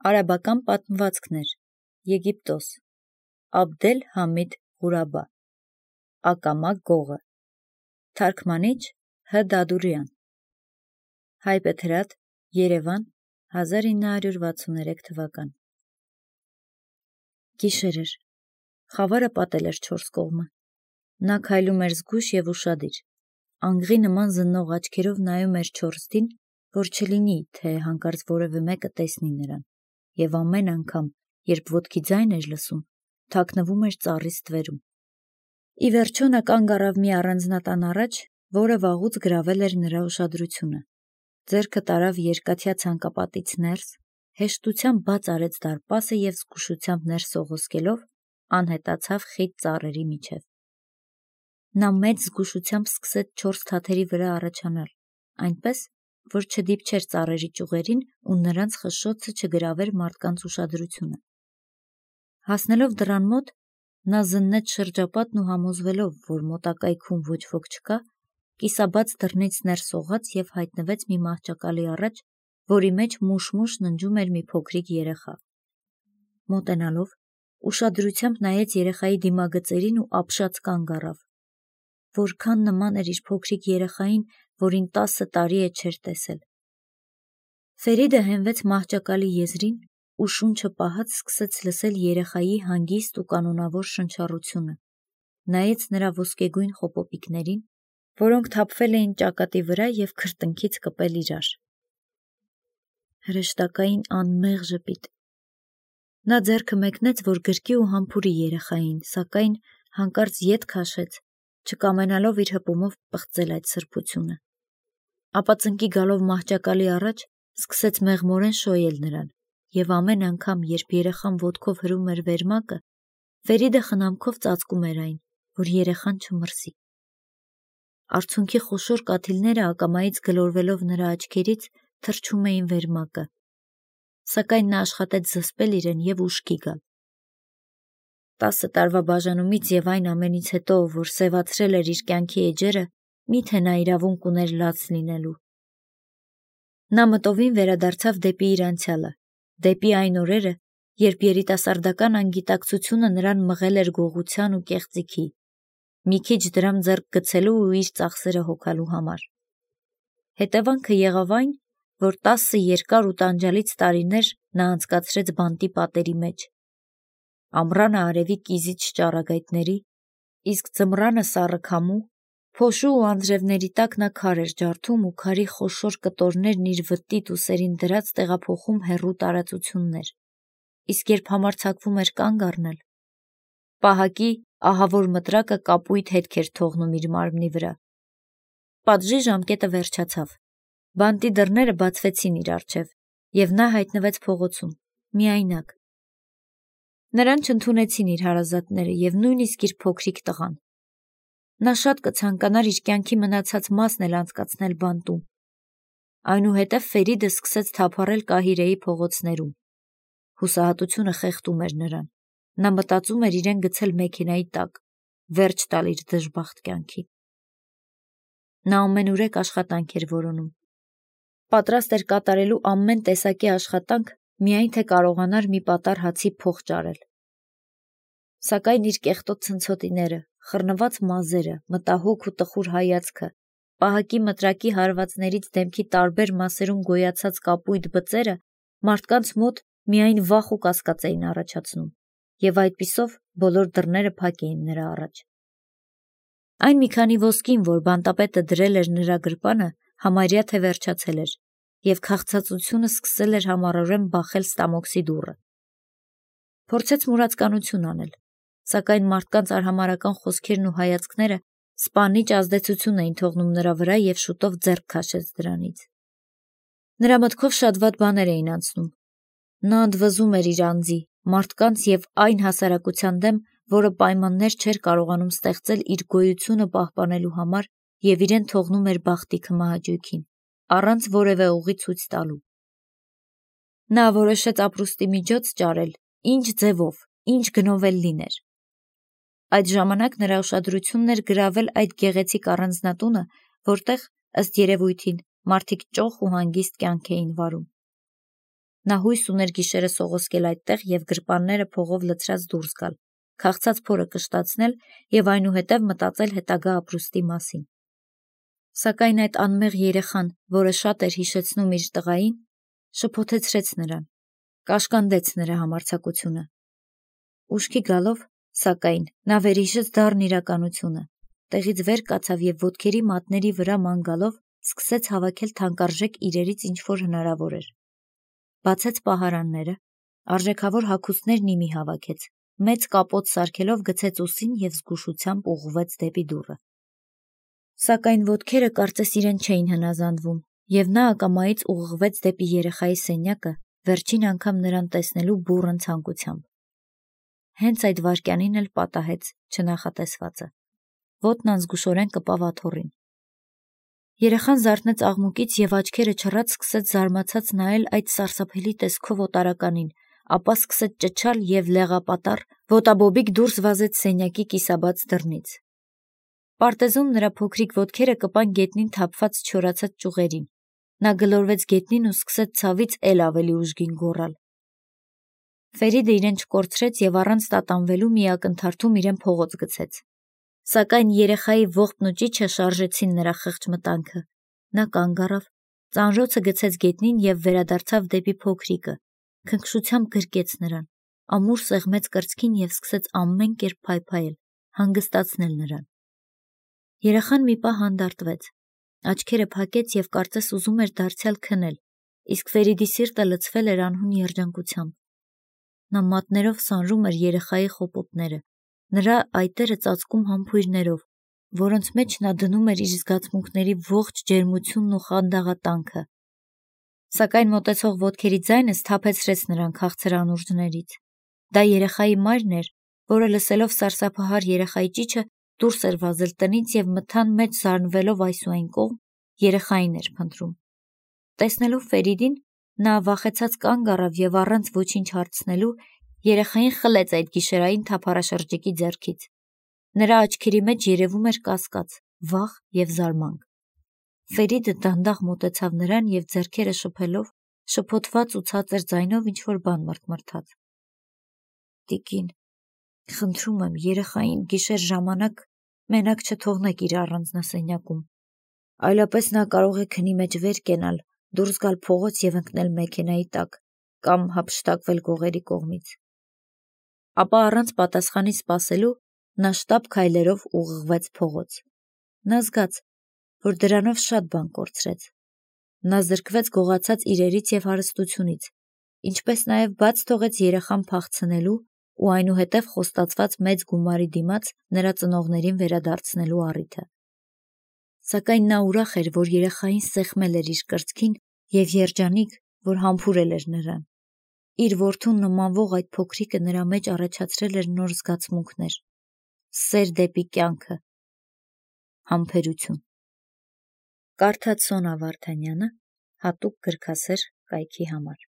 Արաբական պատմվածքներ, Եգիպտոս, Աբդել Համիդ Ղուրաբա, Ակամա գողը, Թարգմանիչ Հ. Դադուրյան, Հայբեթրատ, Երևան, 1963 թվական։ Գիշեր էր, խավարը պատել էր չորս կողմը, նա քայլում էր զգույշ և ուշադիր, անգղի նման զննող աչքերով նայում էր չորստին, որ չլինի, թե հանկարծ որևէ մեկը տեսնի նրան, և ամեն անգամ, երբ ոտքի ձայն էր լսում, թաքնվում էր ծառի ստվերում։ Ի վերջո նա կանգ առավ մի առանձնատան առաջ, որը վաղուց գրավել էր նրա ուշադրությունը, ձեռքը տարավ երկաթյա ցանկապատից ներս, հեշտությամբ բաց արեց դարպասը և զգուշությամբ ներս սողոսկելով անհետացավ խիտ ծառերի միջև։ Նա մեծ զգուշությամբ սկսեց չորս թաթերի վրա առաջանալ, այնպես, որ չդիպչեր ծառերի ճյուղերին ու նրանց խշշոցը չգրավեր մարդկանց ուշադրությունը։ Հասնելով դռան մոտ, նա զննեց շրջապատն ու համոզվելով, որ մոտակայքում ոչ ոք չկա, կիսաբաց դռնից ներս սողաց և հայտնվեց մի մահճակալի առաջ, որի մեջ մուշ-մուշ ննջում էր մի փոքրիկ երեխա։ Մոտենալով, ուշադրությամբ նայեց երեխայի դիմագծերին ու ապշած կանգ առավ։ Որքան նման էր իր փոքրիկ երեխային, որին 10 տարի է չէր տեսել։ Ֆերիդը հենվեց մահճակալի եզրին ու շունչը պահած սկսեց լսել երեխայի հանգիստ ու կանոնավոր շնչառությունը, նայեց նրա ոսկեգույն խոպոպիկներին, որոնք թափվել էին ճակատի վրա և քրտինքից կպել իրար։ Հրեշտակային անմեղ ժպիտ։ Նա ձեռքը մեկնեց, որ գրկի ու համբուրի երեխային, սակայն հանկարծ ետ քաշեց, չկամենալով իր հպումով պղծել այդ սրբությունը։ Ապա ծնկի գալով մահճակալի առաջ, սկսեց մեղմորեն շոյել նրան, և ամեն անգամ, երբ երեխան ոտքով հրում էր վերմակը, Ֆերիդը խնամքով ծածկում էր այն, որ երեխան չմրսի։ Արցունքի խոշոր կաթիլները ակամայից գլորվելով նրա աչքերից թռչում էին վերմակը, սակայն նա աշխատեց զսպել իրեն և ուշքի գալ։ 10 տարվա բաժանումից և այն ամենից հետո, որ սևացրել էր իր կյանքի էջերը, միթե նա իրավունք ուներ լաց լինելու։ Նա մտովին վերադարձավ դեպի իր անցյալը, դեպի այն օրերը, երբ երիտասարդական անգիտակցությունը նրան մղել էր գողության ու կեղծիքի, մի քիչ դրամ ձեռք գցելու ու իր ծախսերը հոգալու համար։ Հետևանքը եղավ այն, որ 10 երկար ու տանջալից տարիներ նա անցկացրեց բանտի պատերի մեջ։ Ամռանը արևի կիզիչ ճառագայթների, իսկ ձմռանը սառը քամու, փոշու ու անձրևների տակ նա քար էր ջարդում ու քարի խոշոր կտորներն իր վտիտ ու սերին դրած տեղափոխում հեռու տարածություններ, իսկ երբ համարձակվում էր կանգ առնել, պահակի ահավոր մտրակը կապույտ հետք էր թողնում իր մարմնի վրա։ Պատժի ժամկետը վերջացավ, բանտի դռները բացվեցին իր առջև, և նա հայտնվեց փողոցում, միայնակ։ Նրան չընդունեցին իր հարազատները և նույնիսկ իր փոքրիկ տղան։ Նա շատ կցանկանար իր կյանքի մնացած մասն էլ անցկացնել բանտում։ Այնուհետև Ֆերիդը սկսեց թափառել Կահիրեի փողոցներում։ Հուսահատությունը խեղդում էր նրան։ Նա մտածում էր իրեն գցել մեքենայի տակ, վերջ տալ իր դժբախտ կյանքին։ Նա ամենուրեք աշխատանք էր որոնում։ Պատրաստ էր կատարելու ամեն տեսակի աշխատանք, միայն թե կարողանար մի պատառ հացի փող ճարել։ Սակայն իր կեղտոտ ցնցոտիները, խռնված մազերը, մտահոգ ու տխուր հայացքը, պահակի մտրակի հարվածներից դեմքի տարբեր մասերում գոյացած կապույտ բծերը մարդկանց մոտ միայն վախ ու կասկած էին առաջացնում, և այդպիսով բոլոր դռները փակ էին նրա առաջ։ Այն մի քանի ոսկին, որ բանտապետը դրել էր նրա գրպանը, համարյա թե վերջացել էր, և քաղցածությունը սկսել էր համառորեն բախել ստամոքսի դուռը։ Փորձեց մուրացկանություն անել, սակայն մարդկանց արհամարհական խոսքերն ու հայացքները սպանիչ ազդեցություն էին թողնում նրա վրա և շուտով ձեռք քաշեց դրանից։ Նրա մտքով շատ վատ բաներ էին անցնում։ Նա ընդվզում էր իր անձի, մարդկանց և այն հասարակության դեմ, որը պայմաններ չէր կարողանում ստեղծել իր գոյությունը պահպանելու համար և իրեն թողնում էր բախտի քմահաճույքին, առանց որևէ ուղի ցույց տալու։ Նա որոշեց ապրուստի միջոց ճարել, ինչ ձևով, ինչ գնով էլ լիներ։ Այդ ժամանակ նրա ուշադրությունն էր գրավել այդ գեղեցիկ առանձնատունը, որտեղ, ըստ երևույթին, մարդիկ ճոխ ու հանգիստ կյանք էին վարում։ Նա հույս ուներ գիշերը սողոսկել այդտեղ և գրպանները փողով լցրած դուրս գալ, քաղցած փորը կշտացնել և այնուհետև մտածել հետագա ապրուստի մասին։ Սակայն այդ անմեղ երեխան, որը շատ էր հիշեցնում իր տղային, շփոթեցրեց նրան, կաշկանդեց նրա համարձակությունը։ Ուշքի գալով, սակայն, նա վերհիշեց դառն իրականությունը, տեղից վեր կացավ և ոտքերի մատների վրա ման գալով սկսեց հավաքել թանկարժեք իրերից ինչ-որ հնարավոր էր։ Բացեց պահարանները, արժեքավոր հագուստներն ի մի հավաքեց, մեծ կապոտ սարքելով գցեց ուսին և զգուշությամբ ուղղվեց դեպի դուռը։ Սակայն ոտքերը կարծես իրեն չէին հնազանդվում, և նա ակամայից ուղղվեց դեպի երեխայի սենյակը, վերջին անգամ նրան տեսնելու բուռն ցանկությամբ։ Հենց այդ վայրկյանին էլ պատահեց չնախատեսվածը։ Ոտն անզգուշորեն կպավ աթոռին։ Երեխան զարթնեց աղմուկից և աչքերը չռած սկսեց զարմացած նայել այդ սարսափելի տեսքով օտարականին, ապա սկսեց ճչալ և լեղապատառ, ոտաբոբիկ դուրս վազեց սենյակի կիսաբաց դռնից։ Պարտեզում նրա փոքրիկ ոտքերը կպան գետնին թափված չորացած ճյուղերին։ Նա գլորվեց գետնին ու սկսեց ցավից էլ ավելի ուժգին գոռալ։ Ֆերիդը իրեն չկորցրեց և առանց տատանվելու մի ակնթարթում իրեն փողոց գցեց։ Սակայն երեխայի ողբն ու ճիչը շարժեցին նրա խեղճ մտանքը։ Նա կանգ առավ, ծանրոցը գցեց գետնին և վերադարձավ դեպի փոքրիկը, քնքշությամբ գրկեց նրան, ամուր սեղմեց կրծքին և սկսեց ամեն կերպ փայփայել, հանգստացնել նրան։ Երեխան մի պահ հանդարտվեց, աչքերը փակեց և կարծես ուզում էր դարձյալ քնել, իսկ Ֆերիդի սիրտը լցվել էր անհուն երջանկությամբ։ Նա մատներով սանրում էր երեխայի խոպոտները, նրա այտերը ծածկում համբույրներով, որոնց մեջ նա դնում էր իր զգացմունքների ողջ ջերմությունն ու խանդաղատանքը։ Սակայն մոտեցող ոտքերի ձայնը սթափեցրեց նրան քաղցր անուրջներից։ Դա երեխայի մայրն էր, որը լսելով սարսափահար երեխայի ճիչը դուրս էր վազել տնից և մթան մեջ զարնվելով այս ու այն կողմ, երեխային էր փնտրում։ Տեսնելով Ֆերիդին, նա վախեցած կանգ առավ և առանց ոչինչ հարցնելու երեխային խլեց այդ գիշերային թափառաշրջիկի ձեռքից։ Նրա աչքերի մեջ երևում էր կասկած, վախ և զարմանք։ Ֆերիդը դանդաղ մոտեցավ նրան և ձեռքերը շփելով, շփոթված ու ցածր ձայնով ինչ-որ բան մռթմռթաց։ «Տիկին, խնդրում եմ, երեխային գիշեր ժամանակ մենակ չթողնեք իր առանձնասենյակում, այլապես նա կարող է քնի մեջ վեր կենալ, դուրս գալ փողոց և ընկնել մեքենայի տակ կամ հափշտակվել գողերի կողմից»։ Ապա առանց պատասխանի սպասելու նա շտապ քայլերով ուղղվեց փողոց։ Նա զգաց, որ դրանով շատ բան կորցրեց։ Նա զրկվեց գողացած իրերից և հարստությունից, ինչպես նաև բաց թողեց երեխան փախցնելու ու այնուհետև խոստացված մեծ գումարի դիմաց նրա ծնողներին վերադարձնելու առիթը։ Սակայն նա ուրախ էր, որ երեխային սեղմել էր իր կրծքին և երջանիկ, որ համբուրել էր նրան։ Իր որդուն նմանվող այդ փոքրիկը նրա մեջ առաջացրել էր նոր զգացմունքներ, սեր դեպի կյանքը, համբերություն։ Կարդաց Սոնա Վարդանյանը հատուկ գրքասեր կայքի համար։